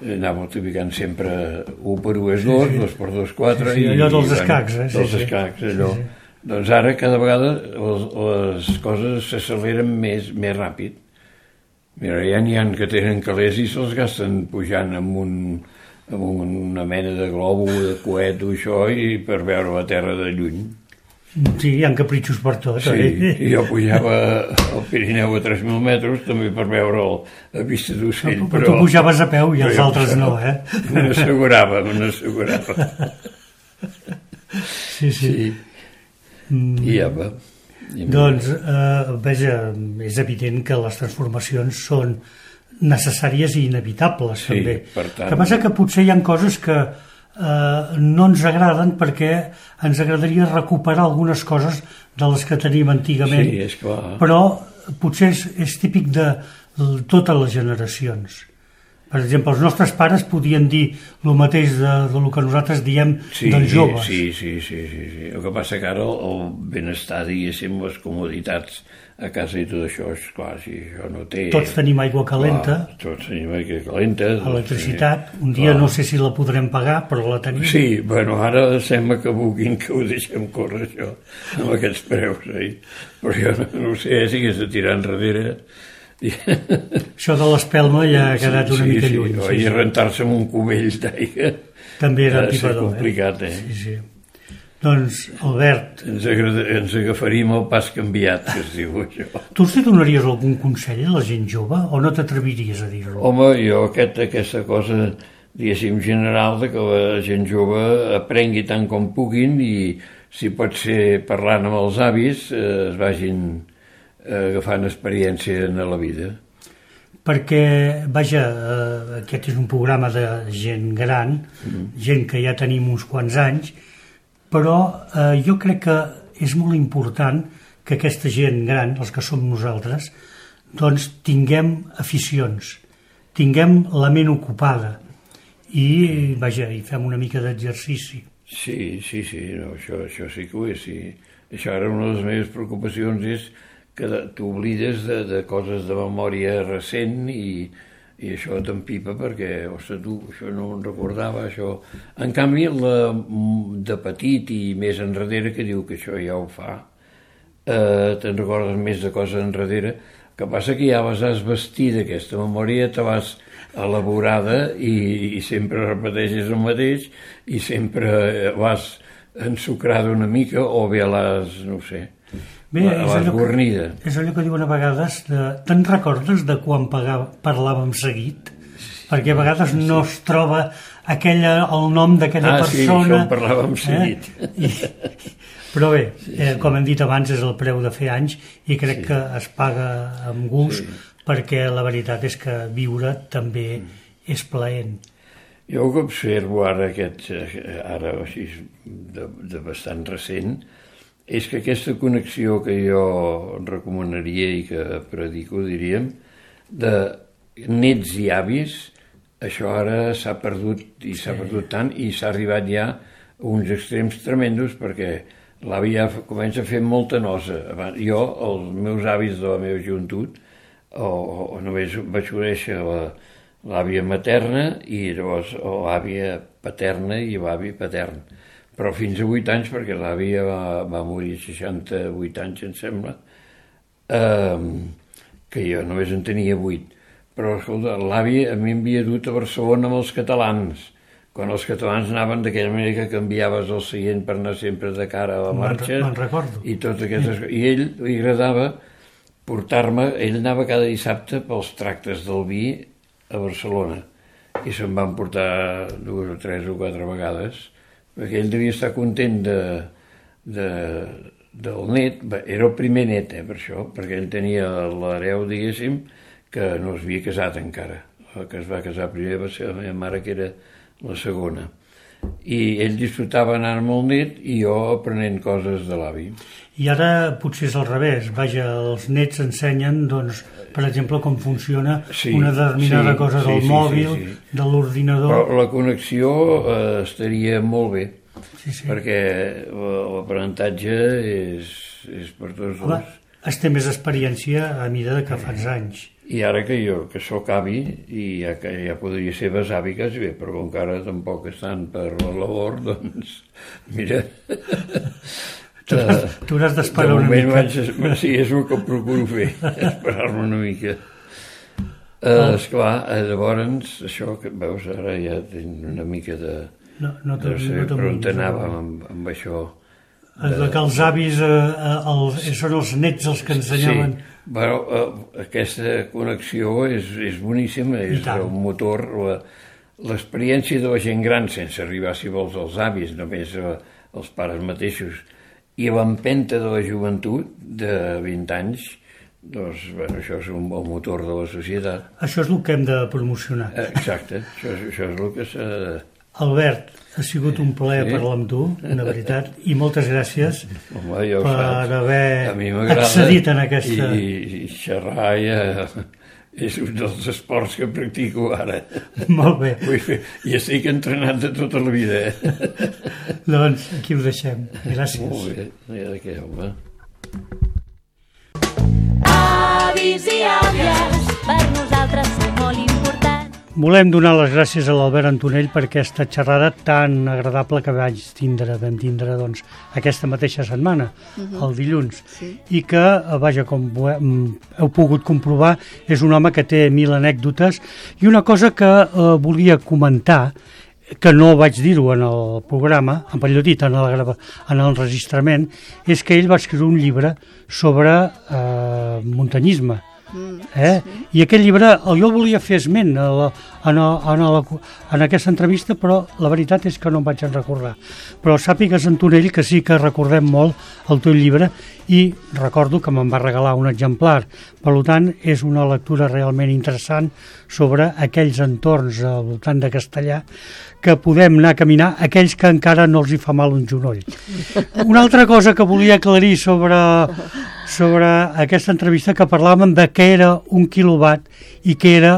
eh, anar multiplicant sempre u per u és dos, dos per dos quatre... Sí, sí, allò dels escacs, eh? Sí, Dels sí. escacs, allò. Sí, Doncs ara cada vegada les, les coses s'acceleren més, més ràpid. Mira, ja n'hi ha que tenen calés i se'ls gasten pujant amb, un, amb una mena de globo, de coet o això, i per veure la Terra de lluny. Sí, hi ha capritxos per tot. Sí, eh? i jo pujava al Pirineu a tres mil metres també per veure el, la vista d'ocell. Però, però tu pujaves a peu i els jo, altres no, eh? Me n'assegurava, me n'assegurava. Sí, sí. sí. Mm. I ja va. I doncs, eh, veja, és evident que les transformacions són necessàries i inevitables, sí, també. Per tant... El que passa que potser hi ha coses que eh, no ens agraden perquè ens agradaria recuperar algunes coses de les que tenim antigament. Sí, és clar. Però potser és, és típic de totes les generacions. Per exemple, els nostres pares podien dir el mateix de, de lo que nosaltres diem sí, dels joves. Sí, sí, sí, sí, sí. El que passa que ara el, el benestar, diguéssim, les comoditats a casa i tot això, és clar, si això no té... Tots tenim aigua calenta. Clar, tots tenim aigua calenta. Electricitat. Un dia clar. No sé si la podrem pagar, però la tenim. Sí, bueno, ara sembla que vulguin que ho deixem córrer, això, amb aquests preus, eh? Però jo no, no sé si hagués de tirar enrere... Això de l'espelma ja ha quedat una sí, mica sí, lluny. Sí, i rentar-se amb un cubell d'aigua també era antipador. És complicat, eh? eh? Sí, sí. Doncs, Albert... Ens, agrada, ens agafaríem el pas canviat, que es diu això. Tu els donaries algun consell a la gent jove o no t'atreviries a dir-ho? Home, jo aquest, aquesta cosa, diguéssim, general, de que la gent jove aprengui tant com puguin i, si pot ser parlant amb els avis, eh, es vagin... agafant experiència en la vida. Perquè, vaja, eh, aquest és un programa de gent gran, mm. gent que ja tenim uns quants anys, però eh, jo crec que és molt important que aquesta gent gran, els que som nosaltres, doncs tinguem aficions, tinguem la ment ocupada i, vaja, i fem una mica d'exercici. Sí, sí, sí, no, això, això sí que ho és, sí. Això ara una de les meves preocupacions és que t'oblides de, de coses de memòria recent i, i això t'empipa perquè, ostres, tu, això no em recordava, això... En canvi, la, de petit i més enrere, que diu que això ja ho fa, eh, te'n recordes més de coses enrere, que passa que ja les has vestit, aquesta memòria, te vas elaborada i, i sempre repeteixes el mateix i sempre vas ensucrada una mica o bé l'has, no ho sé... Bé, és allò, que, és allò que diuen a vegades de, te'n recordes de quan pagava, parlàvem seguit? Sí, perquè a vegades sí, no es troba aquella, el nom d'aquella ah, persona. Ah, sí, això en parlàvem seguit. Eh? I, però bé, sí, sí. Eh, com hem dit abans, és el preu de fer anys i crec sí. que es paga amb gust sí. perquè la veritat és que viure també és plaent. Jo que observo ara, aquest, ara així, de, de bastant recent, és que aquesta connexió que jo recomanaria i que predico, diríem, de nets i avis, això ara s'ha perdut i s'ha sí. perdut tant i s'ha arribat ja a uns extrems tremendos perquè l'avi ja comença a fer molta nosa. Jo, els meus avis de la meva joventut, o, o només vaig conèixer la, l'àvia materna i llavors l'àvia paterna i l'avi patern. Però fins a vuit anys, perquè l'àvia va, va morir a seixanta-vuit anys, em sembla, eh, que jo només en tenia vuit. Però, escolta, l'àvia a mi m'havia dut a Barcelona amb els catalans, quan els catalans anaven d'aquella manera que canviaves el seient per anar sempre de cara a la marxa. Me'n recordo. I totes aquestes coses. I ell li agradava portar-me, ell anava cada dissabte pels tractes del vi a Barcelona, i se'n van portar dues o tres o quatre vegades, perquè ell devia estar content de, de, del net, era el primer net, eh, per això, perquè ell tenia l'hereu, diguéssim, que no es havia casat encara. El que es va casar primer va ser la meva mare, que era la segona. I ell disfrutava anar amb el net i jo aprenent coses de l'avi. I ara potser és al revés, vaja, els nets ensenyen, doncs, per exemple, com funciona sí, una determinada sí, cosa del sí, mòbil, sí, sí, sí. de l'ordinador... Però la connexió eh, estaria molt bé, sí, sí. perquè l'aprenentatge és, és per tots Home, dos. Es té més experiència a mida que fas anys. I ara que jo, que sóc avi, i ja, que ja podria ser besavi quasi bé, però com que ara tampoc estan per la labor, doncs, mira... Uh, tu n'has de d'esperar una moment mica. vaig, sí, és el que procuro fer, esperar-me una mica. Uh, esclar, uh, llavors, això que veus, ara ja tinc una mica de... No, no, te, no sé no per on anàvem amb, amb això. De... de que els avis eh, els, són els nets els que ensenyaven. Sí, però uh, aquesta connexió és, és boníssima, és el motor, la, l'experiència de la gent gran, sense arribar, si vols, als avis, només uh, els pares mateixos, i l'empenta de la joventut de vint anys, doncs, bueno, això és un, el motor de la societat. Això és el que hem de promocionar. Exacte, això, això és el que s'ha de... Albert, ha sigut un plaer sí. parlar amb tu, una veritat, i moltes gràcies Home, ja per saps. haver accedit en aquesta... I, i xerrar ja és un dels esports que practico ara. Molt bé. I estic entrenat de tota la vida. Eh? Doncs aquí ho deixem. Gràcies. Molt bé, ja de què, home. Avis i àvies, per nosaltres són molt importants. Volem donar les gràcies a l'Albert Antonell per aquesta xerrada tan agradable que vaig tindre, vam tindre doncs, aquesta mateixa setmana, uh-huh. el dilluns, sí. i que, vaja, com heu pogut comprovar, és un home que té mil anècdotes, i una cosa que eh, volia comentar, que no vaig dir-ho en el programa, en millor dit, en el, en el enregistrament, és que ell va escriure un llibre sobre eh, muntanyisme. Mm, eh? sí. I aquest llibre jo volia fer esment a la, en, a, en, a la, en aquesta entrevista, però la veritat és que no em vaig en recordar. Però sàpigues, Antonell, que sí que recordem molt el teu llibre i recordo que me'n va regalar un exemplar. Per tant, és una lectura realment interessant sobre aquells entorns al voltant de Castellar que podem anar a caminar, aquells que encara no els hi fa mal un genoll. Una altra cosa que volia aclarir sobre, sobre aquesta entrevista, que parlàvem de què era un quilowatt i què era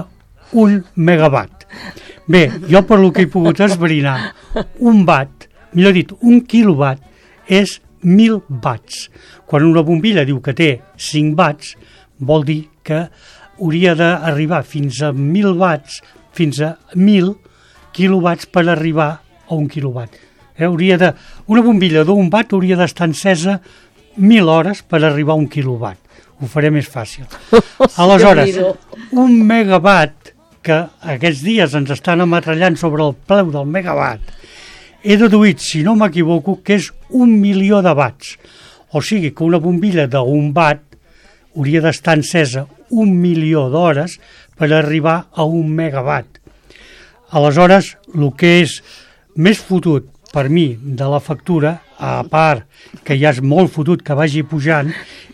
un megawatt. Bé, jo per lo que he pogut esbrinar, un watt, millor dit, un quilowatt és mil watts. Quan una bombilla diu que té cinc watts, vol dir que hauria d'arribar fins a mil watts, fins a mil quilowatts per arribar a un quilowatt. Eh, hauria de, una bombilla d'un watt hauria d'estar encesa mil hores per arribar a un quilowatt. Ho faré més fàcil. Aleshores, un megawatt, que aquests dies ens estan ametrallant sobre el preu del megawatt, he deduït, si no m'equivoco, que és un milió de watts. O sigui que una bombilla d'un watt hauria d'estar encesa un milió d'hores per arribar a un megawatt. Aleshores, el que és més fotut per mi de la factura, a part que ja és molt fotut que vagi pujant,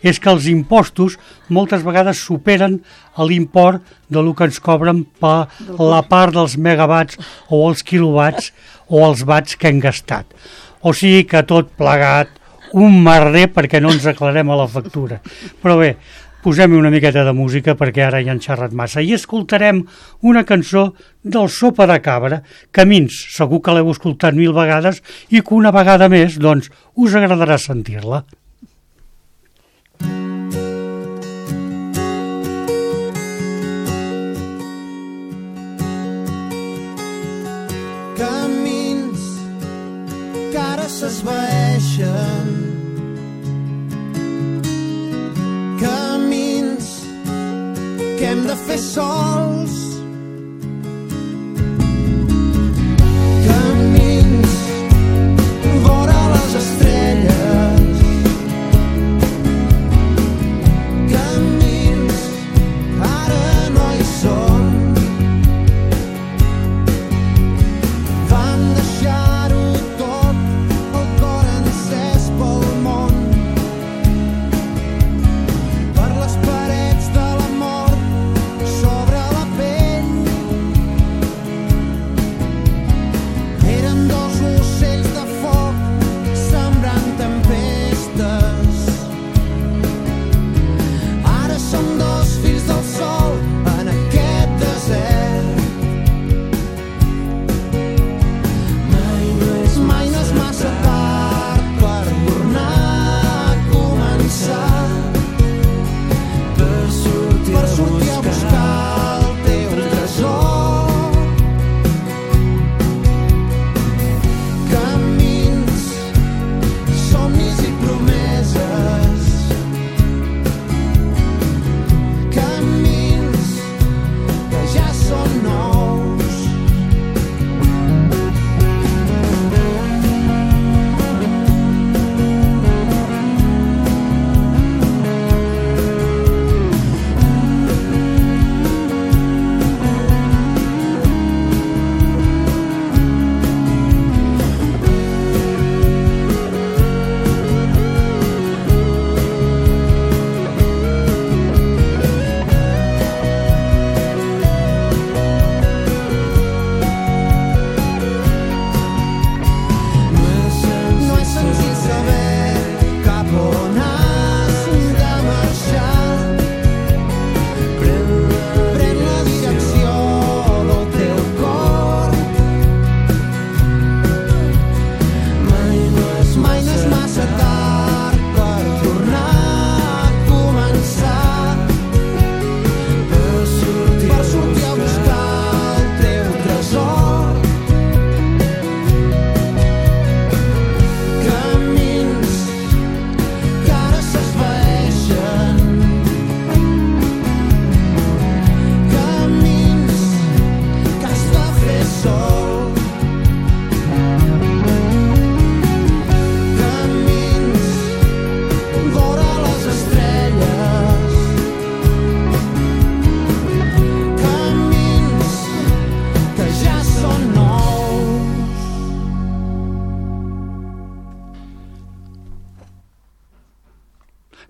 és que els impostos moltes vegades superen l'import de lo que ens cobren per la part dels megawatts o els quilowatts o els watts que hem gastat. O sigui que tot plegat, un merder perquè no ens aclarem a la factura. Però bé, posem una miqueta de música perquè ara ja han xerrat massa i escoltarem una cançó del Sopa de Cabra, Camins, segur que l'heu escoltat mil vegades i que una vegada més, doncs, us agradarà sentir-la. Camins que ara s'esvaeixen, camins que hem de fer sols, camins vora les estrelles, camins ara no hi són, vam deixar-ho tot, el cor encès pel món, per les parets de la mort, sobre la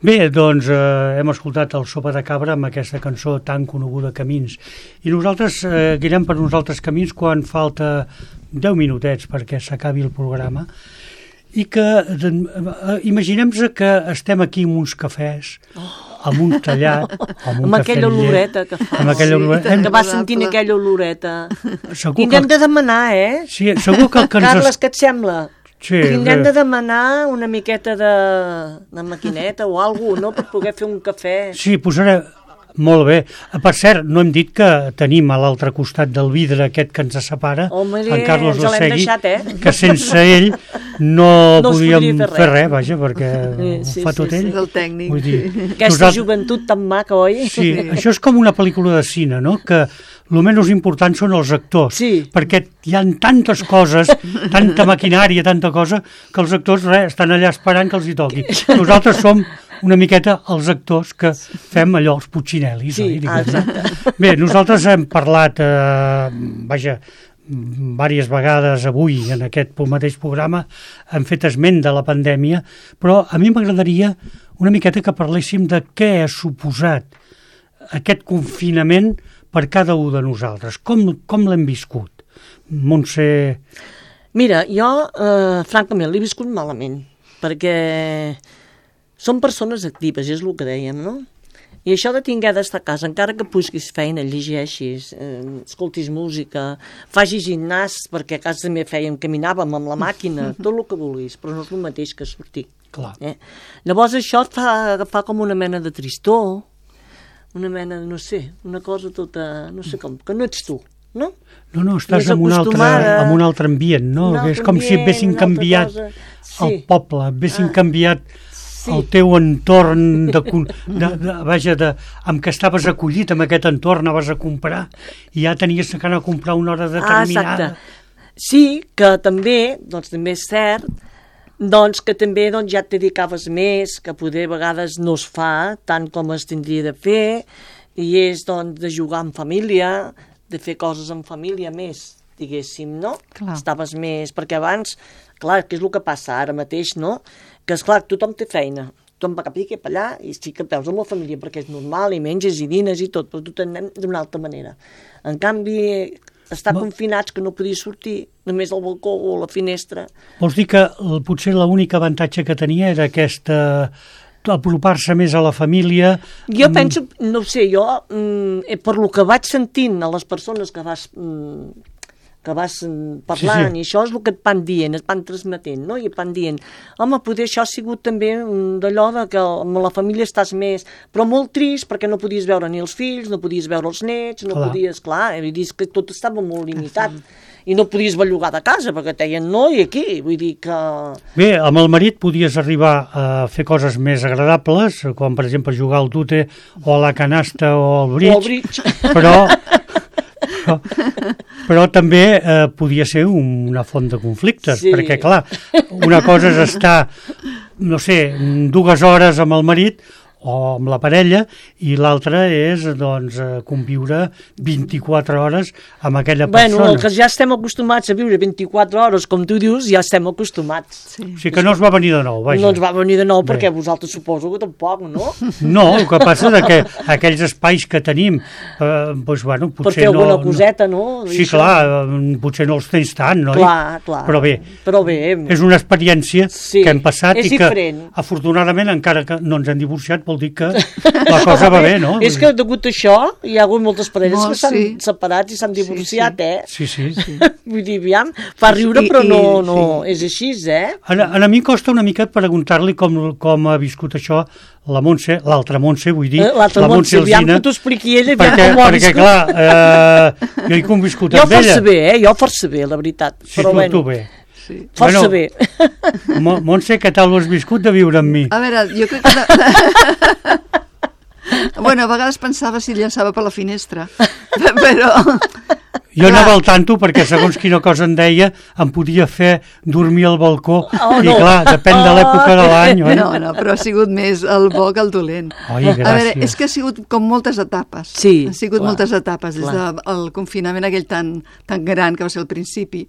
Bé, doncs eh, hem escoltat el Sopa de Cabra amb aquesta cançó tan coneguda, Camins. I nosaltres eh, guirem per uns altres camins quan falta deu minutets perquè s'acabi el programa. I que eh, imaginem-nos que estem aquí amb uns cafès, amb un tallat, amb un amb cafè aquella amb llet, oloreta que fa. amb aquella Sí, oloreta. tant. Que vas sentint aquella oloreta. Segur Tindrem que, de demanar, eh? sí, segur que el que ens... Carles, què et sembla? Sí, Tindrem bé. de demanar una miqueta de, de maquineta o alguna cosa, no?, per poder fer un cafè. Sí, posaré... Molt bé. Per cert, no hem dit que tenim a l'altre costat del vidre aquest que ens separa, Home, en Carlos ens l'hem Losegui, deixat, eh? que sense ell no, No es podíem podria fer fer res. res, vaja, perquè Sí, ho sí, fa sí, tot sí. ell. És el tècnic. Vull dir, Aquesta nosaltres- joventut tan maca, oi? Sí, això és com una pel·lícula de cine, no?, que el menys important són els actors, Sí. perquè hi ha tantes coses, tanta maquinària, tanta cosa, que els actors res, estan allà esperant que els hi toqui. Nosaltres som una miqueta els actors que fem allò, els Puccinellis. Sí, oi, ah, diguem-ne. exacte. Bé, nosaltres hem parlat, eh, vaja, diverses vegades avui en aquest mateix programa, hem fet esment de la pandèmia, però a mi m'agradaria una miqueta que parléssim de què ha suposat aquest confinament per cada un de nosaltres. Com, com l'hem viscut? Montse... Mira, jo, eh, francament, l'he viscut malament, perquè som persones actives, és el que dèiem, no? I això de tinguer d'estar a casa, encara que busquis feina, llegeixis, eh, escoltis música, facis gimnàs, perquè a casa també fèiem, caminàvem amb la màquina, tot el que vulguis, però no és el mateix que sortir. Clar. Eh? Llavors això et fa agafar com una mena de tristor, una mena de, no sé, una cosa tota, no sé com, que no ets tu, no? No, no, estàs Més en un, altre, acostumada. en un altre ambient, no? Un altre És com si ambient, haguessin una altra canviat cosa. el Sí. poble, haguessin Ah. canviat Sí. el teu entorn, de, con- de, de, vaja, de, amb què estaves acollit, amb aquest entorn anaves a comprar i ja tenies que anar a comprar una hora Ah, determinada. exacte. Sí, que també, doncs també és cert, doncs que també doncs, ja et dedicaves més, que poder a vegades no es fa tant com es tindria de fer, i és doncs de jugar en família, de fer coses en família més, diguéssim, no? Clar. Estaves més, perquè abans, clar, què és el que passa ara mateix, no? Que és clar, tothom té feina, tothom va cap aquí, cap allà, i sí que et veus amb la família perquè és normal, i menges i dines i tot, però tu t'anem d'una altra manera. En canvi, estar Ma- confinats, que no podies sortir, només al balcó o a la finestra. Vols dir que el, potser l'únic avantatge que tenia era aquesta apropar-se més a la família. Jo mm, penso, no ho sé, jo, mm, eh, per lo que vaig sentint a les persones que vas, mm, que vas mm, parlant, Sí, sí. i això és el que et van dient, et van transmetent, no? I et van dient, home, poder això ha sigut també mm, d'allò de que amb la família estàs més, però molt trist perquè no podies veure ni els fills, no podies veure els nets, no Clar. podies, clar, vull dir, és que tot estava molt limitat. I no podies bellugar de casa, perquè et deien no, i aquí, vull dir que... Bé, amb el marit podies arribar a fer coses més agradables, com per exemple jugar al tute o a la canasta o al bridge, O al bridge. però, però, però també eh, podia ser un, una font de conflictes, Sí. perquè clar, una cosa és estar, no sé, dues hores amb el marit o amb la parella, i l'altra és doncs, eh, conviure vint-i-quatre hores amb aquella Bueno, persona. el que ja estem acostumats a viure vint-i-quatre hores, com tu dius, ja estem acostumats. Sí. O sigui que no es va venir de nou, vaja. No ens va venir de nou, Bé. perquè vosaltres suposo que tampoc, no? No, el que passa és que aquells espais que tenim, eh, doncs, bueno, Per potser fer no... alguna coseta, no? Sí, Això. clar, eh, potser no els tens tant, no? Clar, clar. Però bé, Però bé, és una experiència Sí, que hem passat és i que, diferent. afortunadament, encara que no ens hem divorciat, vol dir que la cosa va bé, no? és que degut a això hi ha hagut moltes parelles Molt, que s'han sí. separat i s'han Sí, divorciat, sí. eh? Sí, sí. sí. Vull dir, aviam, fa riure, I- però no, i- no sí. és així, eh? A, a mi costa una mica preguntar-li com, com ha viscut això la Montse, l'altra Montse, vull dir, Eh, L'altra la Montse Montse, aviam Alsina, que t'ho expliqui ella, aviam perquè, com ho ha perquè viscut. clar, eh, jo he conviscut Jo amb ella. força bé, eh? Jo força bé, la veritat. Sí, però tu, bueno, tu bé. Sí. força Bueno, bé. Mo- Montse, què tal ho has viscut de viure amb mi? A veure, jo crec que... Bueno, a vegades pensava si llançava per la finestra, però... Jo Clar. anava al tanto perquè segons quina cosa em deia em podia fer dormir al balcó Oh, i no. clar, depèn de l'època de l'any, oi? No, no, però ha sigut més el bo que el dolent. Oi, A veure, gràcies. és que ha sigut com moltes etapes. Sí, Han sigut clar, moltes etapes, des clar. del confinament aquell tan, tan gran que va ser al principi,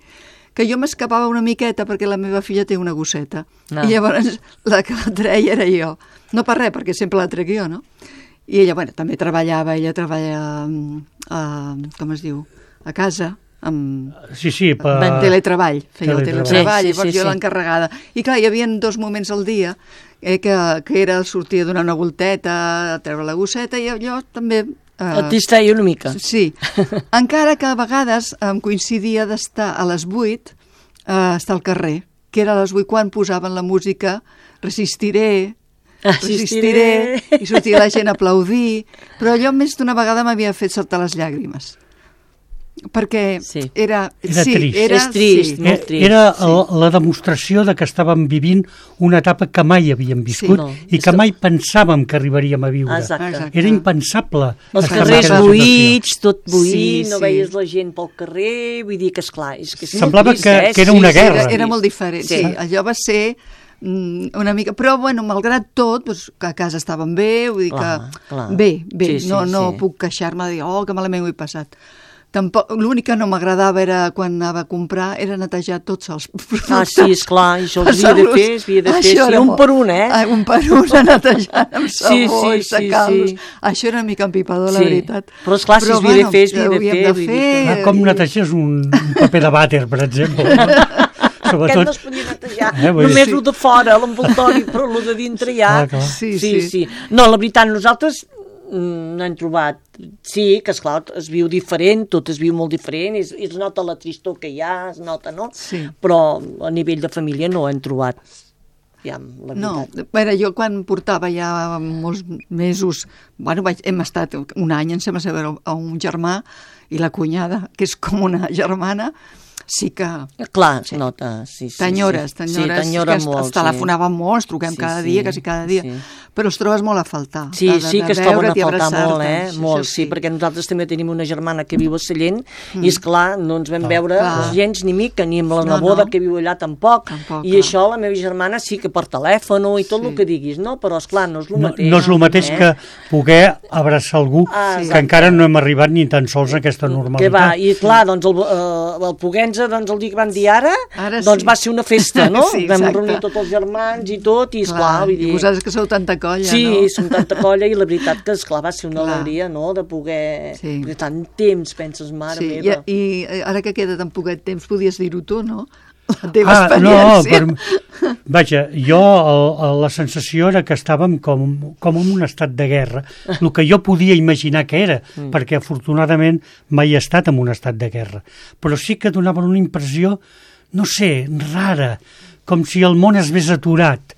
que jo m'escapava una miqueta perquè la meva filla té una gosseta. No. I llavors la que la treia era jo. No per res, perquè sempre la trec jo, no? I ella, bueno, també treballava, ella treballa, a, com es diu, a casa, amb Sí, sí, per... amb teletreball, feia el Teletreball. teletreball, Sí, sí, llavors sí, jo sí. l'encarregada. I clar, hi havia dos moments al dia eh, que, que era sortir a donar una volteta, a treure la gosseta, i allò també... Eh, Et distreia una mica. Sí, encara que a vegades em coincidia d'estar a les vuit, eh, estar al carrer, que era a les vuit quan posaven la música Resistiré, Assistiré. i sortia la gent a aplaudir, però allò més d'una vegada m'havia fet saltar les llàgrimes. Perquè Sí. era... Era sí, trist. Era, És trist, sí. molt trist. Era el, la demostració de que estàvem vivint una etapa que mai havíem viscut Sí, no. i que mai pensàvem que arribaríem a viure. Exacte. Exacte. Era impensable. Els estar en carrers aquella buits, tot buit, Sí, no sí. veies la gent pel carrer, vull dir que, esclar, és que és Semblava molt trist, que- eh? que era una Sí, guerra. Era, era molt diferent, sí. Sí. sí. Allò va ser mm, una mica... Però, bueno, malgrat tot, doncs, que a casa estàvem bé, vull dir Clar, que... clar. Bé, bé, Sí, sí, no, no sí. puc queixar-me de dir, oh, que malament ho he passat. Tampoc, l'únic que no m'agradava era, quan anava a comprar, era netejar tots els productes. Ah, sí, esclar, això es havia de Passar-los. fer, es havia de fer, Això sí, era un molt- per un, eh? Ah, un per un, a netejar amb Sí, sabó sí, i sí, secar-los. sí. Això era una mica empipador, la Sí. veritat. Però, esclar, si es havia de fer, es havia de ho havíem fer, vull dir que- Ah, com neteges un, un paper de vàter, per exemple. Aquest no es podia netejar, Eh, vull dir- només Sí. el de fora, l'envoltori, però el de dintre ja... Clar, clar. Sí, sí, sí. sí. No, la veritat, nosaltres mm, no hem trobat... Sí, que esclar, es viu diferent, tot es viu molt diferent, es, es nota la tristor que hi ha, es nota, no? Sí. Però a nivell de família no hem trobat, ja, la No, veritat. a veure, jo quan portava ja molts mesos, bueno, vaig, hem estat un any, em sembla saber, a un germà i la cunyada, que és com una germana, sí que... Clar, es nota, sí, sí. T'enyores, sí. t'enyores, Sí, t'enyora que molt, es telefonàvem molt, ens truquem Sí, cada sí, dia, quasi cada dia, sí. però els trobes molt a faltar. Sí, de- de- sí de que es troben a veure't i faltar abraçar-te. molt, eh? Això Molt, sí, perquè nosaltres també tenim una germana que viu a Sallent i, és clar, no ens vam veure clar. gens ni mica, ni amb la No, neboda no. que viu allà tampoc. Tampoc, I clar. això, la meva germana sí que per telèfon i tot Sí. el que diguis, no? Però, esclar, no és el No, mateix. no és el mateix eh? que poder abraçar algú Ah, que exacte. encara no hem arribat ni tan sols a aquesta Que va, normalitat. i clar, doncs el, eh, el Poguenza, doncs el dia que van dir ara, Ara doncs sí. va ser una festa, no? Sí, Vam exacte. reunir tots els germans i tot, i esclar, vull I dir... vosaltres que sou tanta colla, Sí, no? som tanta colla i la veritat que, esclar, va ser una Clar. alegria, no?, de poder... Sí. Perquè tant temps, penses, mare Sí, meva. i, i ara que queda tan poquet temps, podies dir-ho tu, no? La teva Ah, no, experiència. per, vaja, jo el, el, la sensació era que estàvem com, com en un estat de guerra, el que jo podia imaginar que era, mm. perquè afortunadament mai he estat en un estat de guerra, però sí que donava una impressió, no sé, rara, com si el món es vés aturat.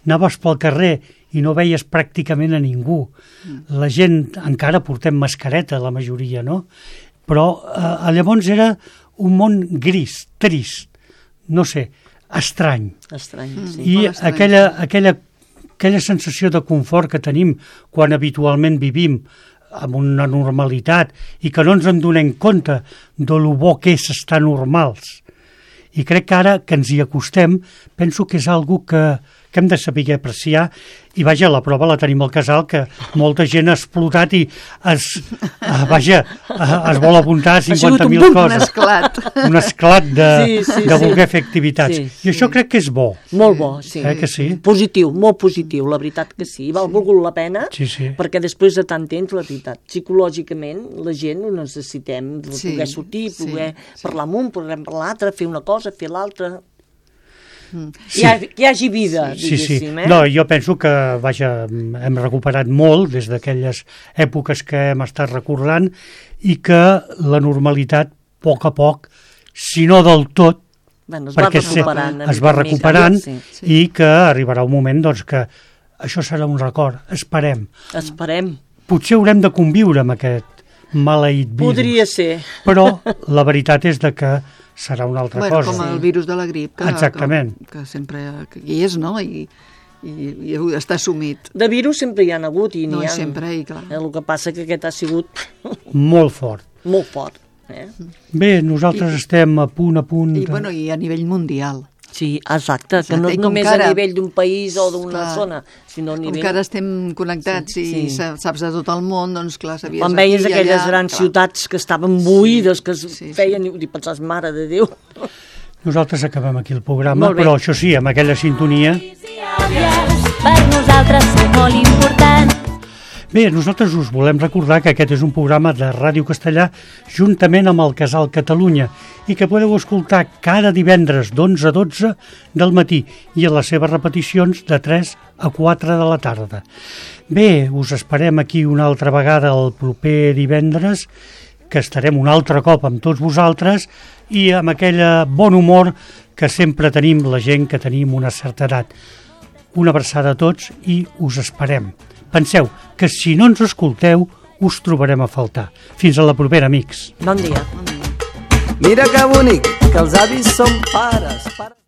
Anaves pel carrer i no veies pràcticament a ningú. La gent, encara portem mascareta, la majoria, no? Però eh, llavors era un món gris, trist, no sé, estrany. Estrany, sí. I molt estrany, aquella, aquella, aquella sensació de confort que tenim quan habitualment vivim amb una normalitat i que no ens en donem compte de lo bo que és estar normals. I crec que ara que ens hi acostem, penso que és algo que, que hem de saber apreciar, i vaja, la prova la tenim al casal, que molta gent ha explotat i es, uh, vaja, uh, es vol apuntar a cinquanta mil sigut un Un coses. esclat. Un esclat de, Sí, sí, de sí. voler fer activitats. Sí, I això crec que és bo. Molt bo, sí. Eh, que sí? Positiu, molt positiu, la veritat que sí. Val volgut la pena, Sí, sí. perquè després de tant temps, la veritat, psicològicament, la gent ho necessitem, de Sí, poder sortir, sí, poder sí. parlar amb un, parlar amb l'altre, fer una cosa, fer l'altra... Sí. Hi ha, que hi hagi vida, Sí, sí. diguéssim, eh? No, jo penso que, vaja, hem recuperat molt des d'aquelles èpoques que hem estat recordant i que la normalitat, a poc a poc, si no del tot, Bueno, es va perquè se- recuperant. una es mica va en mica, recuperant sí. i que arribarà un moment doncs, que això serà un record. Esperem. Esperem. Potser haurem de conviure amb aquest maleït virus. Podria ser. Però la veritat és de que serà una altra Bueno, cosa. com el virus de la grip, que, Exactament. que, que sempre que hi és, no? I, i, i està assumit. De virus sempre hi ha hagut i n'hi No, ha. sempre, i clar. Eh, el que passa que aquest ha sigut Molt fort. molt fort. Eh? Bé, nosaltres I- estem a punt, a punt... I, de- bueno, i a nivell mundial. Sí, exacte, que Exacte, no i és com només que ara- a nivell d'un país o d'una Clar. zona, sinó a Com nivell... que ara estem connectats Sí, i sí. sa- saps de tot el món, doncs clar, sabies Quan veies aquí i aquelles allà, grans clar. ciutats que estaven buides, que es sí, sí. feien, i pensaves, mare de Déu. Nosaltres acabem aquí el programa, Molt bé. però això sí, amb aquella sintonia... Per nosaltres són molt importants. Bé, nosaltres us volem recordar que aquest és un programa de Ràdio Castellà juntament amb el Casal Catalunya i que podeu escoltar cada divendres d'onze a dotze del matí i a les seves repeticions de tres a quatre de la tarda. Bé, us esperem aquí una altra vegada el proper divendres, que estarem un altre cop amb tots vosaltres i amb aquell bon humor que sempre tenim la gent que tenim una certa edat. Una abraçada a tots i us esperem. Penseu que si no ens escolteu, us trobarem a faltar. Fins a la propera, amics. Bon dia. Mira que bonic, que els avis són pares. pares.